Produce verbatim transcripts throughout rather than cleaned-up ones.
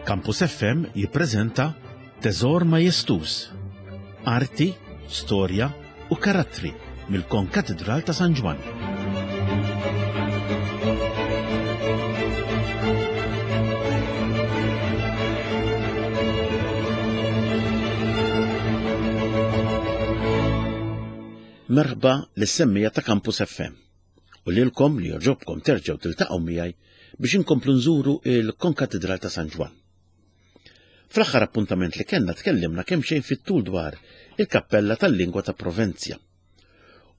Campus F M jippreżenta Teżor Majestuż, Arti, Storja u Karattri mill-Konkatedral ta' San Ġwann. Merħba lis-semmija ta' Campus F M u lilkom li joġobkom terġgħu tiltaqgħu miegħi biex inkomplu nżuru il-Konkatedral ta' San Ġwann. Fl-aħħar appuntament li kellna tkellimna kemm xejn fit-tul dwar il-Kappella tal-Lingwa ta' Provenzja.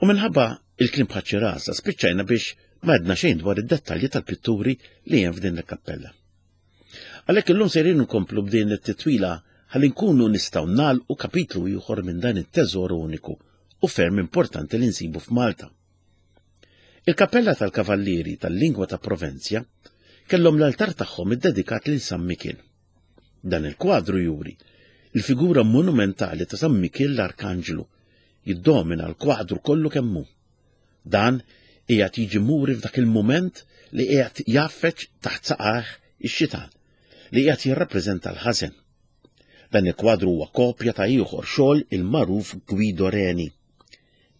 U minħabba il-kliem bħaċ-ċirasa spiċċajna biex ma għedna xejn dwar id-dettalji tal-pitturi li hemm f'din il-kappella. Għalhekk illum sejrin nkomplu b'din it-titwila ħalli nkunu nistgħu nagħlqu kapitlu ieħor minn dan it-teżor uniku u ferm importanti li nsibu f'Malta. Il-Kappella tal-Kavallieri tal-Lingwa ta' Provenzja kellhom l-altar tagħhom iddedikat lil San Mikiel. Dan il-kwadru juri il-figura monumentali ta' San Mikiel l-Arkanġlu jiddomina l-kwadru kollu kemm hu. Dan qiegħed jiġi muri f'dak il-mument li qiegħed jaffeċ taħt saqajh ix-xitan li qiegħed jirrappreżenta l-ħażen. Dan il-kwadru huwa kopja ta' ieħor xogħol il-magħruf Guido Reni.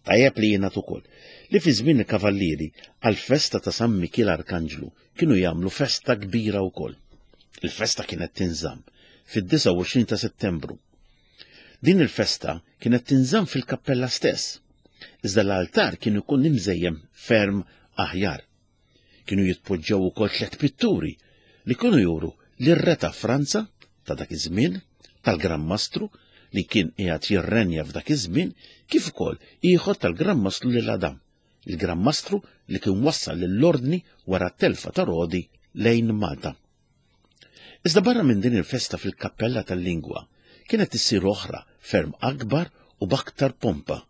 Tajjeb li jingħad ukoll li fi żmien il-Kavallieri għall-festa ta' San Mikiel Arkanġlu kienu jagħmlu festa kbira wkoll. Il-festa kienet tinżamm fid-disgħa u għoxrin ta' Settembru. Din il-festa kienet tinżamm fil-kappella stess, iżda l-altar kien ikun imżejjem ferm aħjar. Kienu jitpoġġew ukoll tliet pitturi li kienu juru lir-re ta' Franza ta' dak iż-żmien, tal-Gran Mastru li kien qiegħed jirrenja f'dak iż-żmien, kif ukoll ieħor tal-Gran Mastru lil Adam, il-Gran Mastru li kien wassal lill-ordni wara t-telfa ta' Rodi lejn Malta. Iżda barra minn din il-festa fil-Kappella tal-Lingwa kienet issir oħra ferm akbar u b'aktar pompa.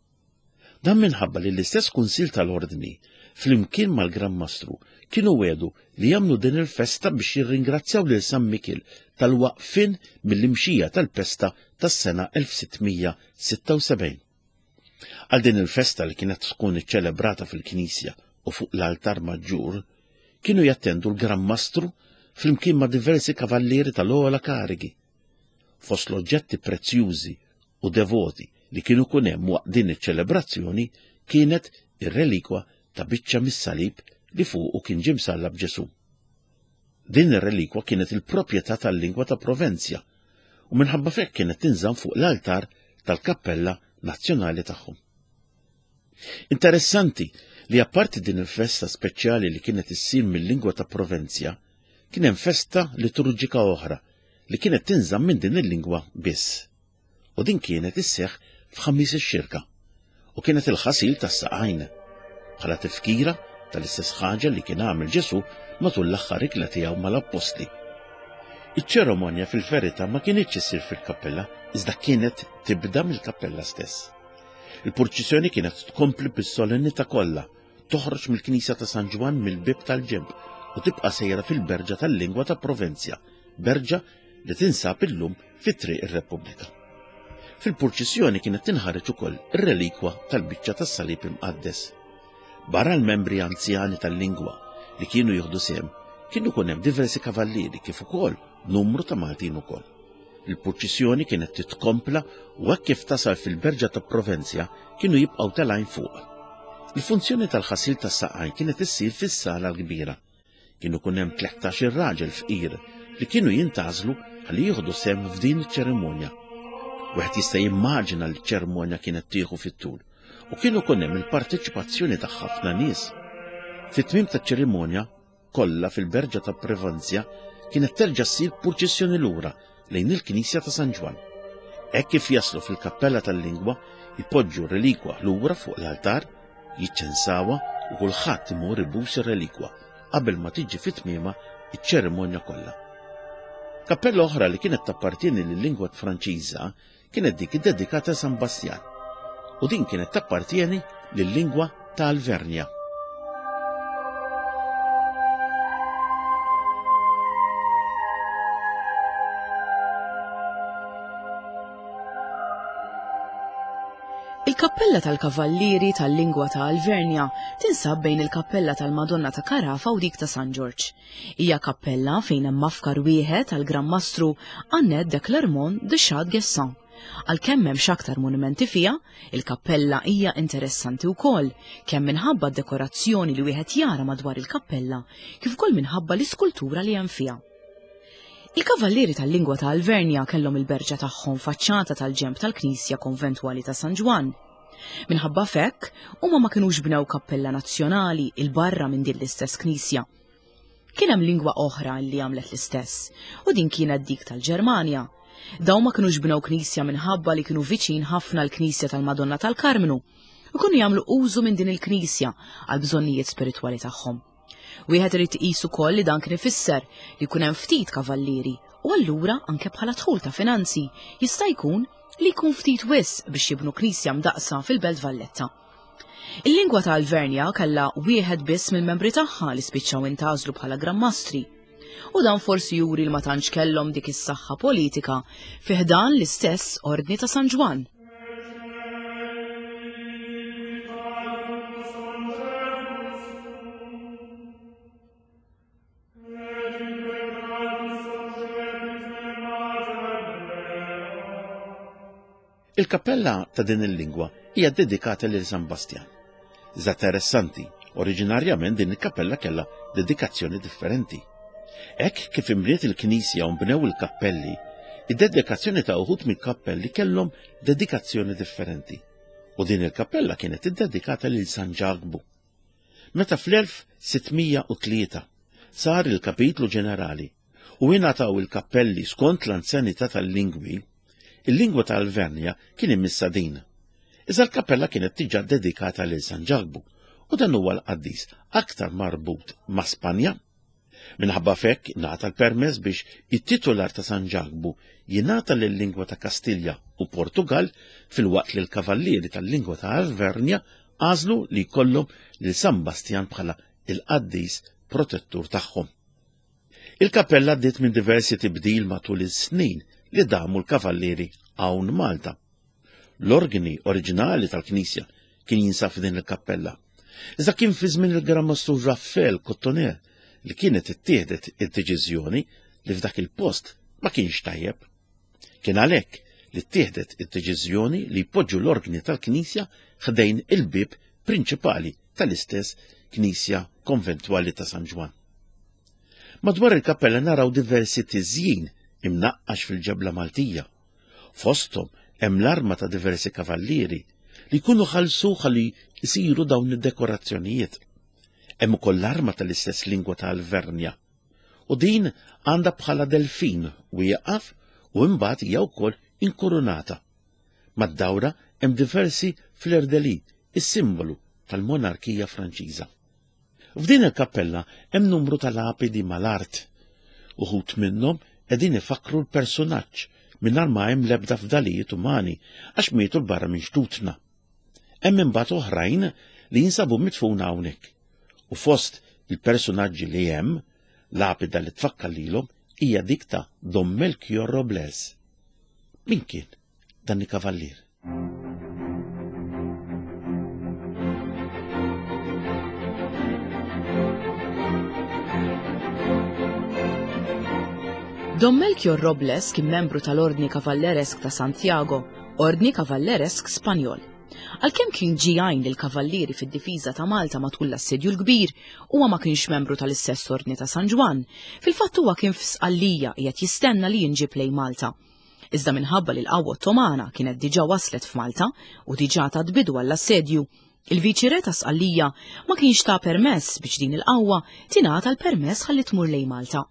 Dan minħabba li l-istess Kunsill tal-Ordni flimkien mal-Gran Mastru kienu wedu li jagħmlu din il-festa biex jirringrazzjaw lil San Mikiel tal-waqfien mill-imxija tal-pesta tas-sena elf sittmija sitta u sebgħin. Għal din il-festa li kienet tkun iċċelebrata fil-Knisja u fuq l-altar maġġur, kienu jattendu l-Gran Mastru flimkien ma' diversi kavallieri tal-ogħla karigi. Fost l-oġġetti prezzjużi u devoti li kienu kun hemm waqt din iċ-ċelebrazzjoni kienet ir-relikwa ta' biċċa mis-salib li fuqu kien ġie msallab Ġesù. Din ir-relikwa kienet il-proprjetà tal-lingwa ta' Provenzja u minħabba fekk kienet tinżamm fuq l-altar tal-Kappella Nazzjonali tagħhom. Interessanti li apparti din il-festa speċjali li kienet issir mill-lingwa ta' Provenzja, kien hemm festa liturġika oħra li kienet tinżamm minn din il-lingwa biss. U din kienet isseħħ f'Ħamis ix-Xirka u kienet il-ħasil tas-saqajn bħala tifkira tal-istess ħaġa li kien għamel Ġesù matul l-aħħar ikla tiegħu mal-appostli. Iċ-ċeremonja fil-verità ma kienitx issir fil-kappella, iżda kienet tibda mill-kappella stess. Il-purċissjoni kienet tkompli bis-solennità kollha, toħroġ mill-Knisja ta' San Ġwann mill-bib tal-ġenb u tibqa' sejra fil-Berġa tal-Lingwa ta' Provenzja, berġa li tinsab illum fi Triq ir-Repubblika. Fil-purċissjoni kienet tinħareġ ukoll ir-relikwa tal-biċċa tas-Salib Imqaddes. Barra l-membri anzjani tal-lingwa li kienu jieħdu sehem, kienu jkun hemm diversi kavallieri kif ukoll numru ta' Maltin ukoll. Il-purċissjoni kienet titkompla u hekk kif tasal fil-Berġa ta' Provenzja kienu jibqgħu telgħin fuq. Il-funzjoni tal-ħasil tas-saqajn kienet issir fis-sala l-kbira. Kienu kun hemm tlettax-il raġel fqir li kienu jintgħażlu ħalli jieħdu sehem f'din iċ-ċerimonja. Wieħed jista' jimmaġina li ċ-ċerimonja kienet tieħu fit-tul u kienu kun hemm il-parteċipazzjoni ta' ħafna nies. Fit-tmiem taċ-ċerimonja kollha fil-Berġa ta' Provenzja kienet terġa' ssir purċissjoni lura lejn il-Knisja ta' San Ġwann. Hekk kif jaslu fil-Kappella tal-Lingwa, jpoġġu r-relikwa lura fuq l-altar, jiċċensawha u kulħadd imur ibus ir-relikwa qabel ma tiġi fit-tmiema iċ-ċerimonja kollha. Kappella oħra li kienet tappartieni lil-lingwa Franċiża kienet dik iddedikata San Bastjan u din kienet tappartieni lil-lingwa ta' Alvernja. Il-Kappella tal-Kavallieri tal-Lingwa ta' Alvernja tinsab bejn il-Kappella tal-Madonna ta' Carafa u dik ta' San Ġorġ. Hija kappella fejn hemm mafkar wieħed għall-Gran Mastru Annette de Clermont de Chade-Guessan. Għalkemm m'hemmx aktar monumenti fiha, il-kappella hija interessanti wkoll, kemm minħabba d-dekorazzjoni li wieħed jara madwar il-kappella, kif ukoll minħabba l-iskultura li hemm fiha. Il-Kavallieri tal-Lingwa ta' Alvernja kellhom il-berġa tagħhom faċċata tal-ġenb tal-Knisja Konventwali ta' San Ġwann. Minħabba f'hekk, huma ma kinux bnew kappella nazzjonali 'il barra minn din l-istess knisja. Kien hemm lingwa oħra li għamlet l-istess, u din kienet dik tal-Ġermanja. Dawn ma kinux bnew knisja minħabba li kienu viċin ħafna l-Knisja tal-Madonna tal-Karmnu u kienu jagħmlu użu minn din il-knisja għal bżonnijiet spiritwali tagħhom. Wieħed irid iqis ukoll li dan kien ifisser li jkun hemm ftit kavallieri u allura anke bħala dħul ta' finanzi jista' jkun li jkun ftit wisq biex jibnu knisja mdaqsa fil-Belt Valletta. Il-lingwa ta' Alvernja kellha wieħed biss mill-membri tagħha li spiċċaw intgħażlu bħala Gran Mastri. U dan forsi juri li ma tantx kellhom dik is-saħħa politika fi ħdan l-istess Ordni ta' San Ġwann. Il-kappella ta' din il-lingwa hija dedikata lil San Bastjan. Iżda interessanti, oriġinarjament din il-kappella kellha dedikazzjoni differenti. Hekk kif imriet il-knisja u nbnew il-kappelli, id-dedikazzjoni ta' uħud mill-kappelli kellhom dedikazzjoni differenti. U din il-kappella kienet iddedikata lil San Ġakbu. Meta fl-elf sitt mija u tlieta sar il-kapitlu ġenerali u ingħataw il-kappelli skont l-anzjanità tal-lingwi, il-lingwa ta' Alvernja kien imissa din. Iżda l-kappella kienet diġà dedikata lil San Ġakbu u dan huwa l-qaddis aktar marbut ma' Spanja. Minħabba fekk ngħata l-permess biex it-titular ta' San Ġakbu jingħata lil-lingwa ta' Kastilja u Portugal filwaqt li l-kavallieri tal-lingwa ta' Alvernja għażlu li jkollhom lil San Bastjan bħala il-qaddis protettur tagħhom. Il-kappella għaddiet minn diversi tibdil matul is-snin li damu l-kavallieri hawn Malta. L-organi oriġinali tal-knisja kien jinsab f'din il-kappella. Iżda kien fi żmien il-Gran Mastru Raffaele Cotoner li kienet ittieħdet id-deċiżjoni li f'dak il-post ma kienx tajjeb. Kien għalhekk li ttieħdet id-deċiżjoni li jpoġġu l-organi tal-knisja ħdejn il-bieb prinċipali tal-istess knisja konventwali ta' San Ġwann. Madwar il-kappella naraw diversi tiżjin imnaqqax fil-ġebla Maltija. Fosthom hemm l-arma ta' diversi kavallieri li jkunu ħallsu ħalli jsiru dawn id-dekorazzjonijiet. Hemm ukoll l-arma tal-istess lingwa ta' Alvernja. U din għandha bħala delfin wieqaf u imbagħad hija wkoll inkurunata. Mad-dawra hemm diversi fleur-de-lis, is-simbolu tal-monarkija Franċiża. F'din il-kappella hemm numru ta' lapidi mal-art. Uħud minnhom qegħdin ifakkru l-personaġġ mingħajr ma hemm l-ebda fdalijiet umani għax mietu l barra minn xtutna. Hemm imbagħad oħrajn li jinsabu midfuna hawnhekk. U fost il-personaġġi li hemm, lapida li tfakkar lilhom hija dik ta' Don Melchior Robles. Min kien dan il-kavallier? Don Melchior Robles kien membru tal-Ordni Kavalleresk ta' Santiago, Ordni Kavalleresk Spanjol. Għalkemm kien ġie jgħin lill-kavallieri fid-difiża ta' Malta matul l-Assedju l-Kbir, huwa ma kienx membru tal-istess Ordni ta' San Ġwann. Fil-fatt huwa kien f'Sqallija qiegħed jistenna li jinġib lejn Malta. Iżda minħabba li l-qawwa Ottomana kienet diġà waslet f'Malta u diġà tat bidu għall-assedju, il-viċi-re ta' Sqallija ma kienx ta' permess biex din il-qawwa tingħata l-permess ħalli tmur lejn Malta.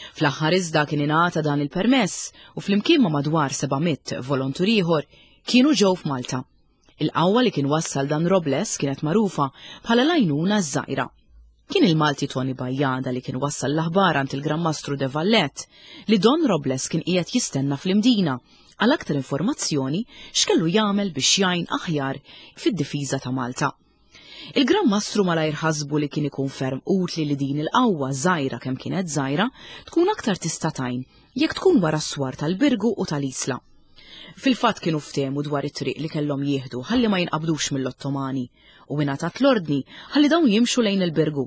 Fl-aħħar iżda kien ingħata dan il-permess u flimkien ma' madwar seba' mitt volontur ieħor kienu ġew f'Malta. Il-qawwa li kien wassal dan Robles kienet magħrufa bħala l-għajnuna ż-żgħira. Kien il-Malti Tony Bajjada li kien wassal l-aħbar għand il-Gran Mastru de Vallet li Don Robles kien qiegħed jistenna fl-Imdina għal aktar informazzjoni x'kellu jagħmel biex jgħin aħjar fid-difiża ta' Malta. Il-Gran Mastru malajr ħasbu li kien ikun ferm utli li din il-qawwa żgħira kemm kienet żgħira tkun aktar tista' tgħin jekk tkun wara s-swar tal-Birgu u tal-Isla. Fil-fatt kienu ftehmu dwar it-triq li kellhom jieħdu ħalli ma jinqabdux mill-Ottomani u ingħatat l-ordni ħalli dawn jimxu lejn il-Birgu.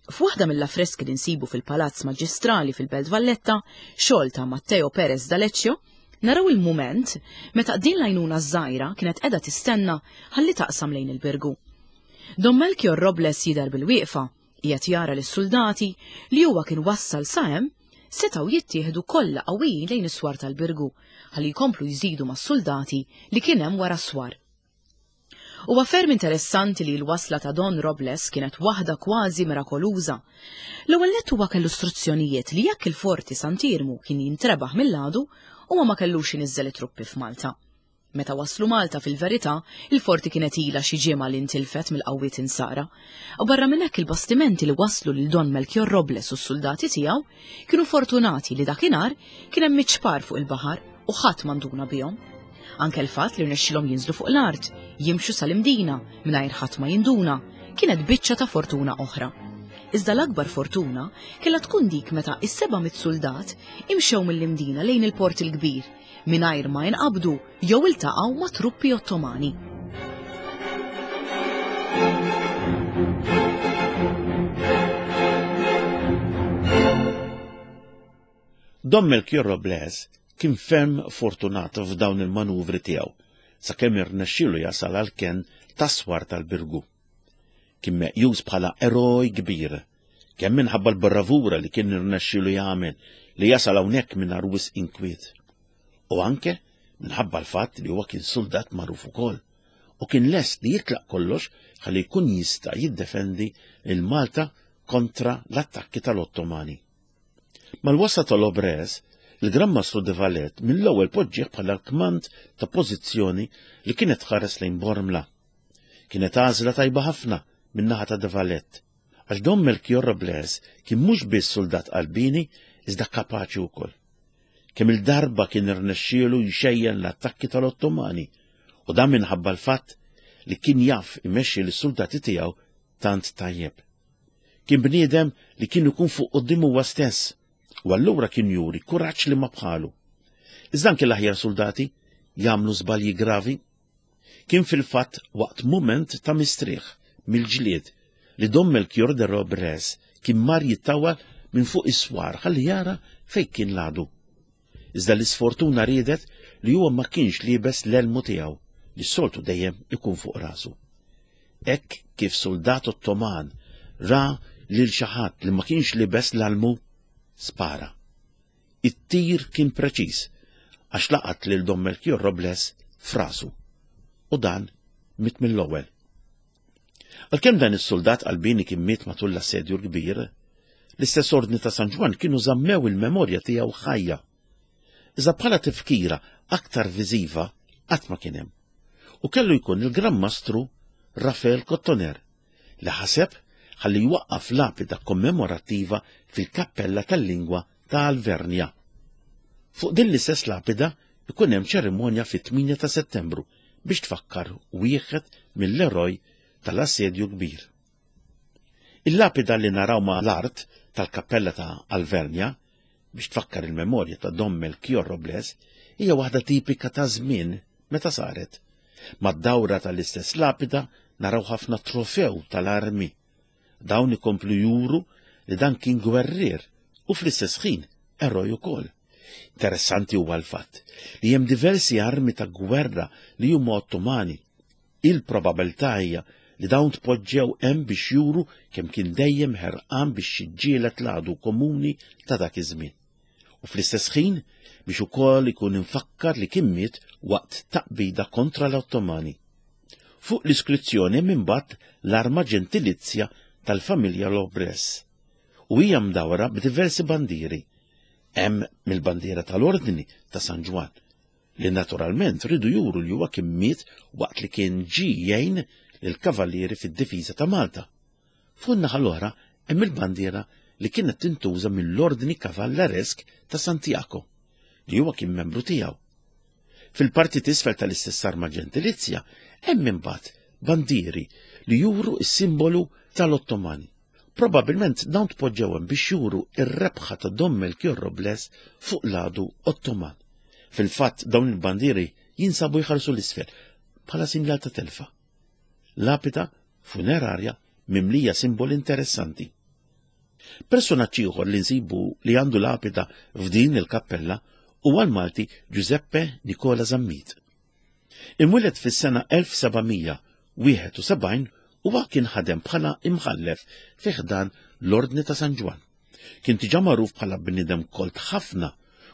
F'waħda mill-affreski li nsibu fil-Palazz Maġistrali fil-Belt Valletta, xogħol ta' Matteo Perez d'Aleccio, naraw il-mument meta din l-għajnuna żgħira kienet qiegħda tistenna ħalli taqsam lejn il-Birgu. Don Melchior Robles jidher bil-wieqfa, qiegħed jara lis-soldati li huwa kien wassal sa hemm setgħu jittieħdu kollha qawwijin lejn is-swar tal-Birgu ħalli jkomplu jżidu mas-soldati li kien hemm wara s-swar. Huwa ferm interessanti li l-wasla ta' Don Robles kienet waħda kważi mirakoluża. L-ewwel nett huwa kellu istruzzjonijiet li jekk il-forti Sant'Iermu kien jintrebaħ mill-għadu, huwa ma kellux iniżżel it-truppi f'Malta. Meta waslu Malta fil-verità, il-forti kienet ilha xi ġimgħa li ntilfet mill-qawwiet insara. U barra minn hekk il-bastimenti li waslu lil Don Melchior Robles u s-soldati tiegħu kienu fortunati li dakinhar kien hemm iċpar fuq il-baħar u ħadd m'għanduna bihom. Anke l-fatt li rnexxilhom jinżlu fuq l-art, jimxu sal-Imdina mingħajr ħadd ma jinduna, kienet biċċa ta' fortuna oħra. Iżda l-akbar fortuna kellha tkun dik meta is-seba' mitt soldat imxew mill-Imdina lejn il-Port il-Kbir mingħajr ma jinqabdu jew iltaqgħu ma' truppi Ottomani. Don Melchior Robles kien ferm fortunat f'dawn il-manuvri tiegħu sakemm irnexxielu jasal għal kenn tas-swar tal-Birgu. Kien meqjus bħala eroj kbir, kemm minħabba l-bravura li kien irnexxielu jagħmel li jasal hawnhekk mingħajr wisq inkwiet, u anke minħabba l-fatt li huwa kien soldat magħruf ukoll u kien lest li jitlaq kollox ħalli jkun jista' jiddefendi lil Malta kontra l-attakki tal-Ottomani. Mal-wasla tal-Robles, il-Gran Mastru de Valette mill-ewwel poġġieħ bħala l-kmand ta' pożizzjoni li kienet tħares lejn Bormla. Kienet għażla tajba ħafna min-naħa ta' de Valette, għax Don Melchior Robles kien mhux biss soldat qalbini iżda kapaċi wkoll. Kemm il-darba kien irnexxielu jxejjen l-attakki tal-Ottomani, u dan minħabba l-fatt li kien jaf imexxi lis-soldati tiegħu tant tajjeb. Kien bniedem li kien ikun fuq quddiem huwa stess, u allura kien juri kuraġġ li ma bħalu. Iżda anke l-aħjar soldati jagħmlu żbalji gravi. Kien fil-fatt waqt mument ta' mistrieħ mill-ġlied li Don Melchior de Robles kien mar jittawal minn fuq is-swar ħalli jara fejn kien l-għadu. Iżda l-isfortuna riedet li huwa ma kienx liebes l-elmu tiegħu li s-soltu dejjem ikun fuq rasu. Hekk kif soldat Ottoman ra lil xi ħadd li ma kienx libes l-almu, spara. It-tir kien preċiż għax laqat lil Don Melchior Robles f'rasu, u dan miet mill-ewwel. Għalkemm dan is-soldat qalbini kien miet matul l-assedju l-kbir, l-istess ordni ta' San Ġwann kienu żammew il-memorja tiegħu ħajja. Iżda bħala tifkira aktar viżiva qatt ma kien hemm. U kellu jkun il-Gran Mastru Rafael Cottoner li ħaseb ħalli jwaqqaf lapida kommemorattiva fil-kappella tal-lingwa ta' Alvernja. Fuq din l-istess lapida ikun hemm ċerimonja fit-tmienja ta' Settembru biex tfakkar wieħed mill-eroj tal-assedju kbir. Il-lapida li naraw ma' l-art tal-kappella ta' Alvernja biex tfakkar il-memorja ta' Don Melchior Robles hija waħda tipika ta' żmien meta saret. Mad-dawra tal-istess lapida naraw ħafna trofew tal-armi. Dawn ikomplu juru li dan kien gwerrier u fl-istess ħin eroj ukoll. Interessanti huwa l-fatt li hemm diversi armi ta' gwerra li huma Ottomani. Il-probabilità hija li dawn tpoġġew hemm biex juru kemm kien dejjem ħerqan biex jiġġieled l-għadu komuni ta' dak iż-żmien. U fl-istess ħin biex ukoll ikun infakkar li kien miet waqt taqbida kontra l-Ottomani. Fuq l-iskrizzjoni hemm imbagħad l-arma ġentilizja tal-familja Robles u hija mdawra b'diversi bandieri. Hemm mill-bandiera tal-Ordni ta' San Ġwann, li naturalment ridu juru li huwa kien miet waqt li kien ġie jgħin lill-kavallieri fid-difiża ta' Malta. Fuq in-naħa l-oħra hemm il-bandiera li kienet tintuża mill-Ordni Kavalleresk ta' Santiago, li huwa kien membru tiegħu. Fil-parti t'isfel tal-istess arma ġentilizja hemm imbagħad bandieri li juru s-simbolu tal-Ottomani. Probabilment dawn tpoġġew hemm biex juru r-rebħa ta' Don Melchior Robles fuq l-għadu Ottoman, Fil-fatt dawn il-bandieri jinsabu jħarsu l-isfel bħala sinjal ta' telfa. Lapida funerarja mimlija simboli interessanti. Personaġġ ieħor li nsibu li għandu lapida f'din il-kappella huwa l-Malti Giuseppe Nicola Zammit. Imwieled fis-sena elf sebgħamija wieħed u sebgħin huwa kien ħadem bħala imħallef fi ħdan l-Ordni ta' San Ġwann. Kien diġà magħruf bħala bniedem kolt ħafna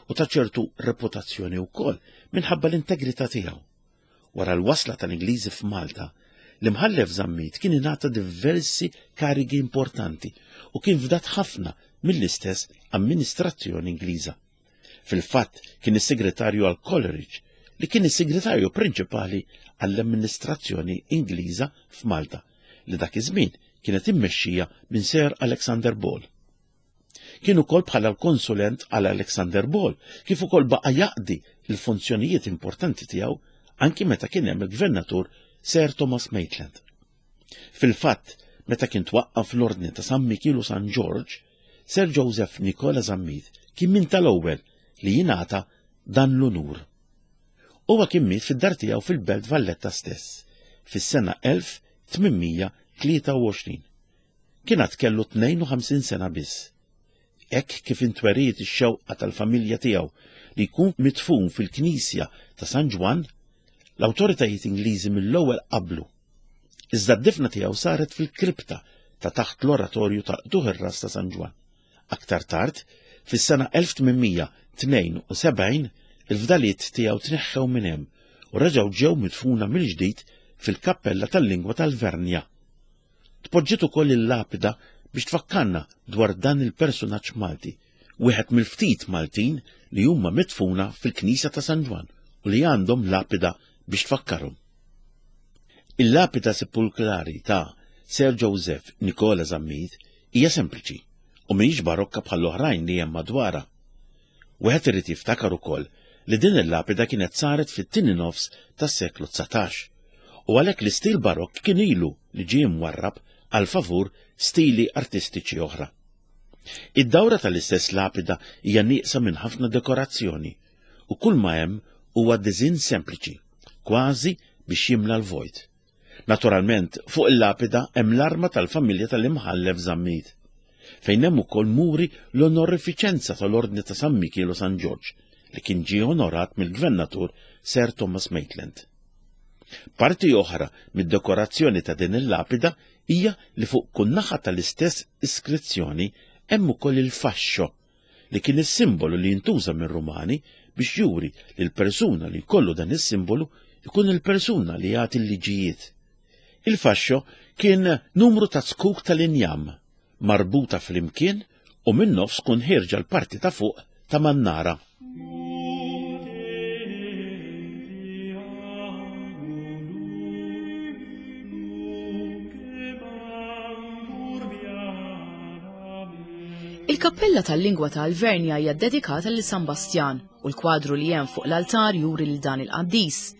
u ta' ċertu reputazzjoni wkoll minħabba l-integrità tiegħu. Wara l-wasla tal-Ingliżi f'Malta, l-imħallef Zammit kien ingħata diversi karigi importanti u kien fdat ħafna mill-istess amministrazzjoni Ingliża. Fil-fatt kien is-segretarju għal Coleridge, li kien is-segretarju prinċipali għall-amministrazzjoni Ingliża f'Malta, li dak iż-żmien kienet immexxija minn Sir Alexander Ball. Kien ukoll bħala l-konsulent għal Alexander Ball, kif ukoll baqa' jaqdi l-funzjonijiet importanti tiegħu anki meta kien hemm il-gvernatur Sir Thomas Maitland. Fil-fatt, meta kien twaqqaf l-Ordni ta' San Mikiel u San George, Sir Joseph Nicola Zammit kien min tal-ewwel li jingħata dan l-unur. Huwa kien miet fid-dar tiegħu fil-Belt Valletta stess, fis-sena elf tmienmija tlieta u għoxrin. Kien għad kellu tnejn u ħamsin sena biss. Hekk kif intweriet ix-xewqa tal-familja tiegħu li jkun midfun fil-Knisja ta' San Ġwann, l-awtoritajiet Ingliżi mill-ewwel qablu. Iżda d-difna tiegħu saret fil-kripta ta' taħt l-oratorju ta' Qtuħ ir-Ras ta' San Ġwann. Aktar tard, fis-sena elf tmienmija tnejn u sebgħin, il-fdaliet tiegħu tneħħew minn hemm u reġgħu ġew midfuna mill-ġdid fil-kappella tal-lingwa tal-Vernja. Tpoġġiet ukoll il-lapida biex tfakkarna dwar dan il-personaġġ Malti, wieħed mill-ftit Maltin li huma midfuna fil-Knisja ta' San Ġwann u li għandhom lapida biex tfakkarhom. Il-lapida sepulkrali ta' Sir Joseph Nicola Zammit hija sempliċi u mhijiex barokka bħall-oħrajn li hemm madwarha. Wieħed irid jiftakar ukoll li din il-lapida kienet saret fit-tieni nofs tas-seklu dsatax u għalhekk l-istil barokk kien ilu li ġie mwarrab għal favur stili artistiċi oħra. Id-dawra tal-istess lapida hija nieqsa minn ħafna dekorazzjoni u kull ma hemm huwa diżinn sempliċi, kważi biex jimla l-vojt. Naturalment, fuq il-lapida hemm l-arma tal-familja tal-imħallef Zammit, fejn hemm ukoll muri l-onorifiċenza tal-Ordni ta' San Mikiel u San Ġorġ, li kien ġie onorat mill-Gvernatur Sir Thomas Maitland. Parti oħra mid-dekorazzjoni ta' din il-lapida hija li fuq kull naħa tal-istess iskrizzjoni hemm ukoll il-fascio, li kien is-simbolu li jintuża mir-Rumani biex juri li l-persuna li jkollu dan is-simbolu jkun il-persuna li jagħti l-liġijiet. Il-fascio kien numru ta' zkuk tal-injam marbuta flimkien u minn nofs kun ħierġa l-parti ta' fuq ta' mannara. Il-kappella tal-lingwa ta' Alvernja hija ddedikata lil San Bastjan u l-kwadru li hemm fuq l-altar juri lil dan il-qaddis.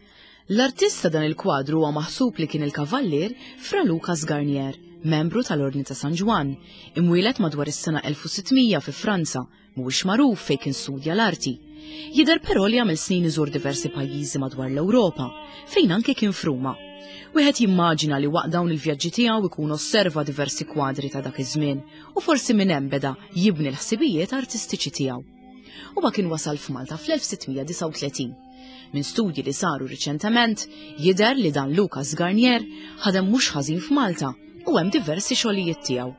L-artist ta' dan il-kwadru huwa maħsub li kien il-kavallier Fra Lucas Garnier, membru tal-Ordni ta' San Ġwann, imwieled madwar is-sena elf u sittmija fi Franza, mhuwiex magħruf fejn kien studja l-arti. Jidher però li għamel snin iżur diversi pajjiżi madwar l-Ewropa, fejn anke kien f'Ruma. Wieħed jimmaġina li waqt dawn il-vjaġġi tiegħu ikun osserva diversi kwadri ta' dak iż-żmien u forsi minn hemm beda jibni l-ħsibijiet artistiċi tiegħu. Huwa kien wasal f'Malta fl-elf sittmija disgħa u tletin. Minn studji li saru riċentement jidher li dan Lucas Garnier ħadem mhux ħażin f'Malta u hemm diversi xogħlijiet tiegħu.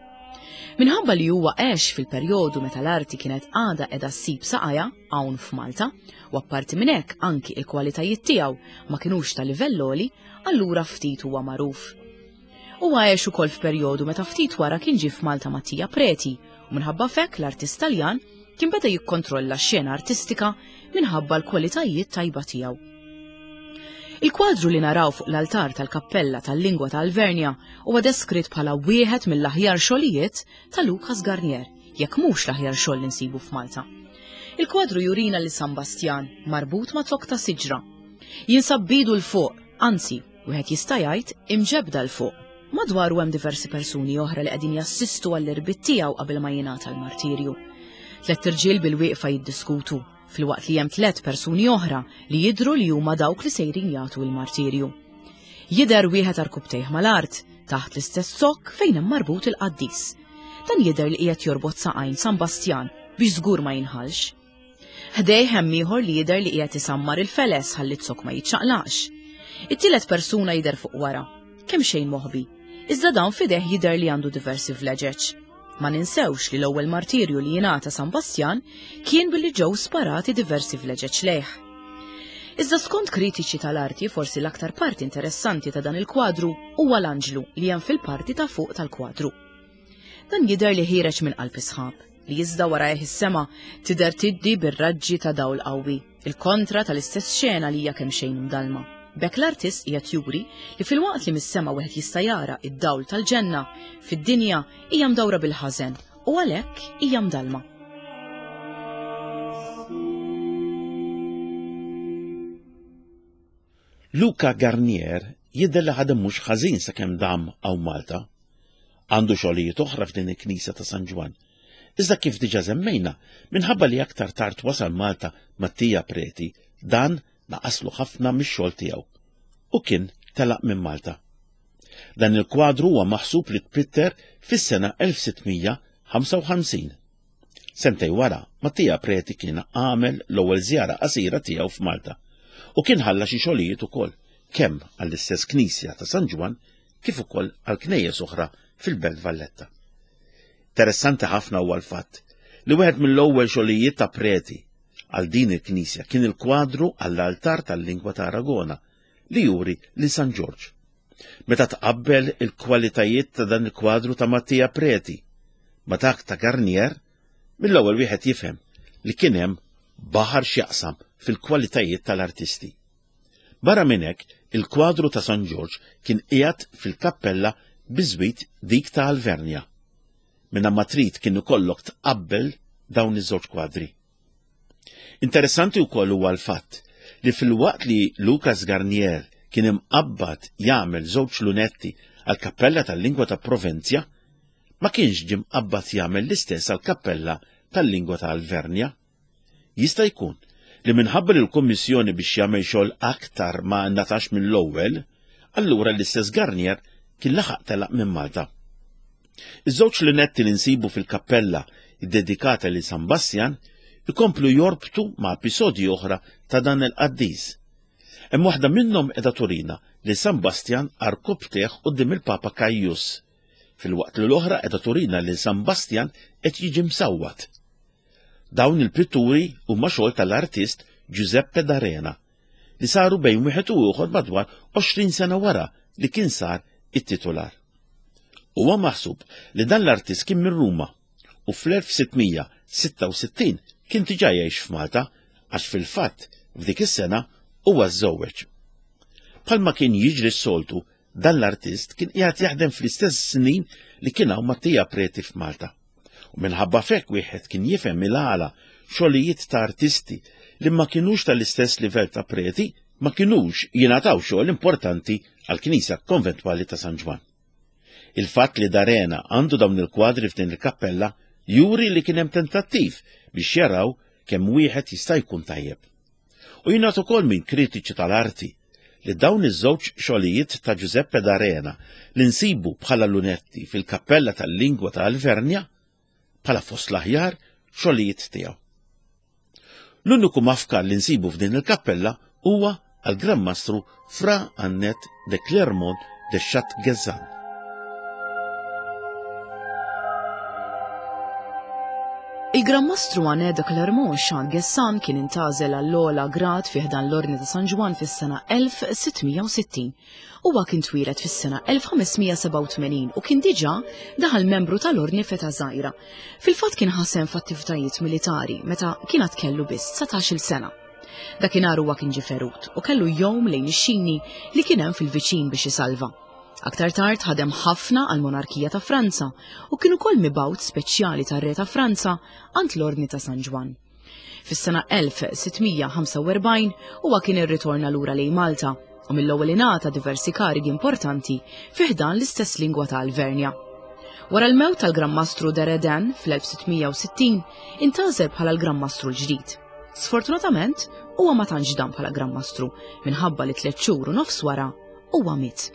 Minħabba li huwa għex fil-perjodu meta l-arti kienet għadha qiegħda ssib saqajha hawn f'Malta, u apparti minn hekk anki il-kwalitajiet tiegħu ma kinux ta' livell għoli, allura ftit huwa magħruf. Huwa għex ukoll f'perjodu meta ftit wara kien ġie f'Malta Mattia Preti, u minħabba f'hekk l-artist Taljan kien beda jikkontrolla x-xena artistika minħabba l-kwalitajiet tajba tiegħu. Il-kwadru li naraw fuq l-altar tal-kappella tal-lingwa ta' Alvernja huwa deskritt bħala wieħed mill-aħjar xogħlijiet ta' Lucas Garnier, jekk mhux l-aħjar xogħol li nsibu f'Malta. Il-kwadru jurina li San Bastjan marbut ma' zokk ta' siġra. Jinsab bidu l fuq, anzi, wieħed jista' jgħid imġebda l fuq. Madwaru hemm diversi persuni oħra li qegħdin jassistu għall-irbit tiegħu qabel ma jingħata l-martirju. Tliet irġiel bil-wieqfa jiddiskutu, filwaqt li hemm tliet persuni oħra li jidhru li huma dawk li sejrin jagħtu l-martirju. Jidher wieħed arkubtejh mal-art, taħt l-istess zokk fejn hemm marbut il-qaddis. Dan jidher li qiegħed jorbot saqajn San Bastjan biex żgur ma jinħalx. Ħdejh hemm ieħor li jidher li qiegħed isammar il-feles ħalli z-zokk ma jiċċaqlaqx. It-tielet persuna jidher fuq wara, kemm xejn moħbi, iżda dan f'idejh jidher li għandu diversi vleġeġ. Ma ninsewx li l-ewwel martirju li jingħata San Bastjan kien billi ġew sparati diversi vleġeġ lejh. Iżda skont kritiċi tal-arti, forsi l-aktar parti interessanti ta' dan il-kwadru huwa l-anġlu li hemm fil-parti ta' fuq tal-kwadru. Dan jidher li ħiereġ minn qalb is-sħab, li iżda warajh is-sema tidher tiddi bir-raġġi ta' dawl qawwi, il-kontra tal-istess xena li hija kemm xejn mdalma. B'hekk l-artist qiegħed juri li filwaqt li mis-sema wieħed jista' jara id-dawl tal-ġenna, fid-dinja hija mdawra bil-ħażen u għalhekk hija mdalma. Luca Garnier jidher li ħadem mhux ħażin sakemm dam hawn Malta. Għandu xogħlijiet oħra f'din il-knisja ta' San Ġwann. Iżda kif diġà semmejna, minħabba li aktar tard wasal Malta Mattia Preti, dan naqaslu ħafna mix-xogħol tiegħu u kien telaq minn Malta. Dan il-kwadru huwa maħsub li tpitter fis-sena elf sitt mija ħamsa u ħamsin. Sentej wara, Mattia Preti kien għamel l-ewwel żjara qasira tiegħu f'Malta u kien ħalla xi xogħlijiet ukoll kemm għall-istess knisja ta' San Ġwann kif ukoll għal knejjes oħra fil-Belt Valletta. Interessanti ħafna huwa l-fatt li wieħed mill-ewwel xogħlijiet ta' Preti għal din il-knisja kien il-kwadru għall-altar tal-lingwa ta' Aragona li juri lil San Ġorġ. Meta tqabbel il-kwalitajiet ta' dan il-kwadru ta' Mattia Preti ma' dak ta' Garnier, mill-ewwel wieħed jifhem li kien hemm baħar x'jaqsam fil-kwalitajiet tal-artisti. Barra minn hekk, il-kwadru ta' San Ġorġ kien qiegħed fil-kappella biżwit dik ta' Alvernja. Minna ma trid kien ikollok tqabbel dawn iż-żewġ kwadri. Interessanti wkoll huwa l-fatt li fil-waqt li Lucas Garnier kien imqabbad jagħmel żewġ lunetti għall-kappella tal-lingwa ta' Provenzja, ma kienx ġie mqabbad jagħmel l-istess għall-kappella tal-lingwa ta' Alvernja. Jista' jkun li minħabba li l-Kummissjoni biex jagħmel xogħol aktar ma ngħatax mill-ewwel, allura l-istess Garnier kien laħaq telaq minn Malta. Iż-żewġ lunetti li nsibu fil-kappella ddedikata lil San Bastjan ikomplu jorbtu ma' episodji oħra ta' dan il-qaddis. Hemm waħda minnhom qiegħda turina li San Bastjan arkobteh quddiem il-Papa Caius, filwaqt li l-oħra qiegħda turina li San Bastjan qed jiġi msawwat. Dawn il-pitturi huma xogħol tal-artist Giuseppe D'Arena li saru bejn wieħed u ieħor madwar għoxrin sena wara li kien sar it-titular. Huwa maħsub li dan l-artist kien minn Ruma u fl-elf sitt mija sitta u sittin kien diġà jgħix f'Malta għax fil-fatt f'dik is-sena huwa żżewweġ. Bħalma kien jiġri s-soltu, dan l-artist kien qiegħed jaħdem fl-istess snin li kien hawn Mattia Preti f'Malta. U minħabba f'hekk wieħed kien jifhem il-għala xogħlijiet ta' artisti li ma kinux tal-istess livell ta' Preti ma kinux jingħataw xogħol importanti għall-Knisja Konventwali ta' San Ġwann. Il-fatt li D'Arena għandu dawn il-kwadri f'din il-kappella juri li kien hemm tentattiv biex jaraw kemm wieħed jista' jkun tajjeb. U jingħad ukoll minn kritiċi tal-arti li dawn iż-żewġ xogħlijiet ta' Giuseppe D'Arena li nsibu bħala lunetti fil-kappella tal-lingwa ta' Alvernja bħala fost l-aħjar xogħlijiet tiegħu. L-uniku mafkar li nsibu f'din il-kappella huwa għal Gran Mastru Fra Annet de Clermont de Chat-Guezzan. Il-Gran Mastru Annet de Clermont Chat-Guezzan kien intgħażel għall-ogħla grad fi ħdan l-Ordni ta' San Ġwann fis-sena elf sitt mija u sittin. Huwa kien twieled fis-sena elf ħames mija sebgħa u tmenin u kien diġà daħal membru tal-Ordni f'età żgħira. Fil-fatt kien ħasem f'attivitajiet militari meta kien għad kellu biss dsatax-il sena. Dakinhar huwa kien ġie ferut u kellu jgħum lejn ix-xini li kien hemm fil-viċin biex isalva. Aktar tard ħadem ħafna għal monarkija ta' Franza u kien ukoll mibgħut speċjali tar-re ta' Franza għand l-Ordni ta' San Ġwann. Fis-sena elf sitt mija ħamsa u erbgħin huwa kien irritorna lura lejn Malta u mill-ewwel ingħata diversi karigi importanti fi ħdan l-istess lingwa ta' Alvernja. Wara l-mewt tal-Gran Mastru de Redin fl-elf sitt mija u sittin intgħażel bħala l-Gran Mastru l-ġdid. Sfortunatament, huwa ma tantx dam bħala Gran Mastru minħabba li tliet xhur u nofs wara huwa miet.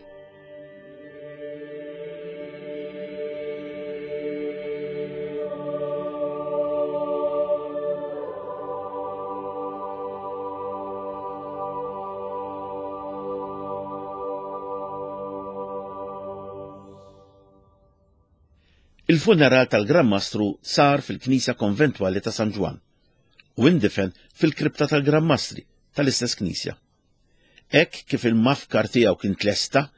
Il-funeral tal-Gran Mastru sar fil-Knisja Konventwali ta' San Ġwann u indifen fil-kripta tal-Gran Mastri tal-istess knisja. Hekk kif il-mafkar tiegħu kien tlesta,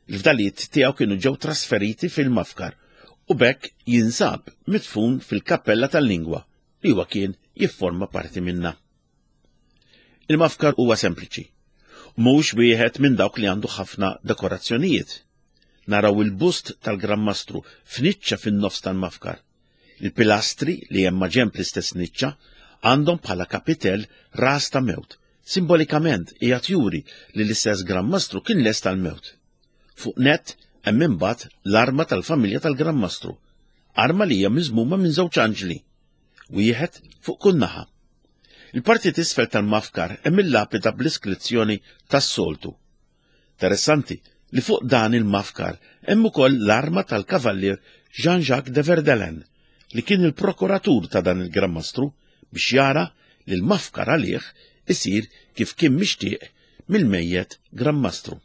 il-fdalijiet tiegħu kienu ġew trasferiti fil-mafkar u b'hekk jinsab midfun fil-kappella tal-lingwa li huwa kien jifforma parti minnha. Il-mafkar huwa sempliċi, mhux wieħed minn dawk li għandu ħafna dekorazzjonijiet. Naraw il-bust tal-Gran Mastru f'niċċa fin-nofs tal-mafkar. Il-pilastri li hemm maġenb l-istess niċċa għandhom bħala kapitell ras ta' mewt. Simbolikament qiegħed juri li l-istess Gran Mastru kien lest tal-mewt. Fuq nett hemm imbagħad l-arma tal-familja tal-Gran Mastru, arma li hija miżmuma minn żewġ anġli, wieħed fuq kull naħa. Il-parti t'isfel tal-mafkar hemm il-lapida bl-iskrizzjoni tas-soltu. Interessanti li fuq dan il-mafkar hemm ukoll l-arma tal-kavallier Jean-Jacques de Verdelen, li kien il-prokuratur ta' dan il-Gran Mastru biex jara li l-mafkar għalih isir kif kien mixtieq mill-mejjet Gran Mastru.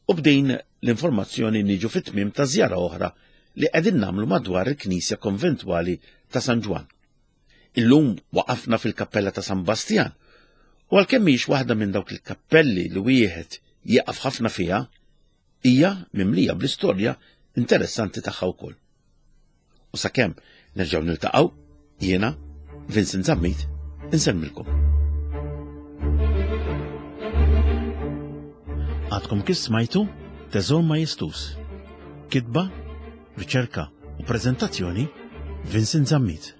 U b'din l-informazzjoni niġu fit-tmiem ta' żjara oħra li qegħdin nagħmlu madwar il-Knisja Konventwali ta' San Ġwann. Illum waqafna fil-Kappella ta' San Bastjan, u għalkemm mhix waħda minn dawk il-kappelli li wieħed jieqaf ħafna fiha, hija mimlija bl-istorja interessanti tagħha wkoll. U sakemm nerġgħu niltaqgħu, jiena Vincent Zammit insemmilkom. Għadkom kif smajtu Teżor Majestus. Kitba, riċerka u preżentazzjoni Vincent Zammit.